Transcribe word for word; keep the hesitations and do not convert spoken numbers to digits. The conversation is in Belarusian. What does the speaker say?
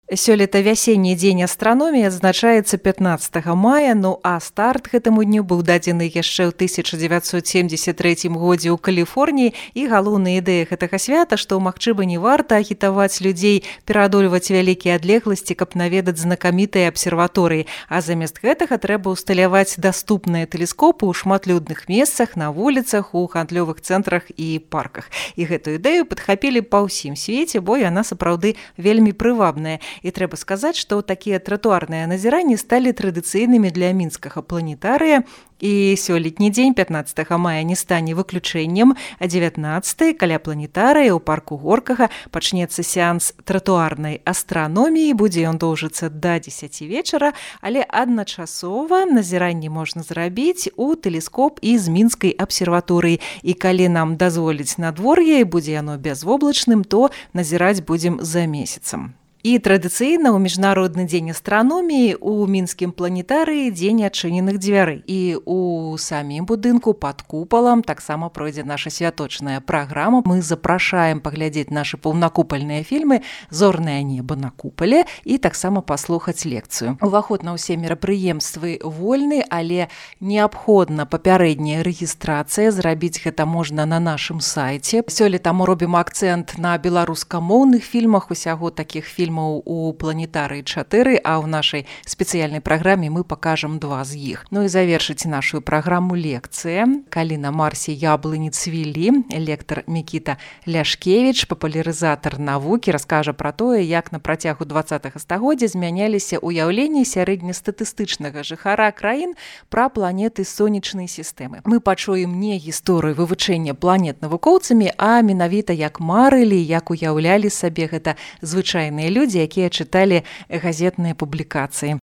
Сёлета вясенні дзень астраноміі адзначаецца пятнаццатага мая, ну а старт гэтаму дню быў дадзены яшчэ ў тысяча дзевяцьсот семьдзесят трэцім годзе ў Каліфорніі, і галоўная ідэя гэтага свята, што магчыма не варта агітаваць людзей пераадольваць вялікія адлегласці, каб наведаць знакамітыя абсерваторыі, а замест гэтага трэба ўсталяваць даступныя тэлескопы ў шматлюдных месцах, на вуліцах, у гандлёвых цэнтрах і парках. І гэтую ідэю падхапілі па ўсім свеце, бо яна сапраўды вельмі прывабная. І трэба сказаць, што такія тратуарныя назіранні сталі традыцыйнымі для мінскага планетарыя. І сёлетні дзень, пятнаццатага мая, не стане выключэннем, а дзевятнаццатага каля планетарыя ў парку Горкага пачнецца сеанс тратуарнай астраноміі, будзе ён доўжыцца да дзесяці вечара, але адначасова назіранні можна зрабіць у тэлескоп і з мінскай абсерваторыі. І калі нам дазволіць надвор'е і будзе яно бязвоблачным, то назіраць будзем за месяцам. І традыцыйна ў міжнародны дзень астраноміі у мінскім планетарыі дзень адчыненых дзвярэй. І у самім будынку пад купалам таксама пройдзе наша святочная праграма. Мы запрашаем паглядзець нашы паўнакупальныя фільмы «Зорнае неба на купале» і таксама паслухаць лекцыю. Уваход на ўсе мерапрыемствы вольны, але неабходна папярэдняя рэгістрацыя. Зрабіць гэта можна на нашым сайце. Сёлета мы робім акцэнт на беларускамоўных фільмах, усяго такіх фільмаў у планетарыі чатыры, а ў нашай спецыяльнай праграме мы пакажам два з іх. Ну і завершыць нашу праграму лекцыя. Калі на Марсе яблыні цвілі, лектар Мікіта Ляшкевіч, папулярызатар навукі, раскажа пра тое, як на працягу дваццатага стагоддзя змяняліся ўяўленні сярэднестатыстычнага жыхара краін пра планеты сонечнай сістэмы. Мы пачуем не гісторыю вывучэння планет навукоўцамі, а менавіта як марылі, як уяўлялі сабе гэта звычайныя людзі, якія чыталі газетныя публікацыі.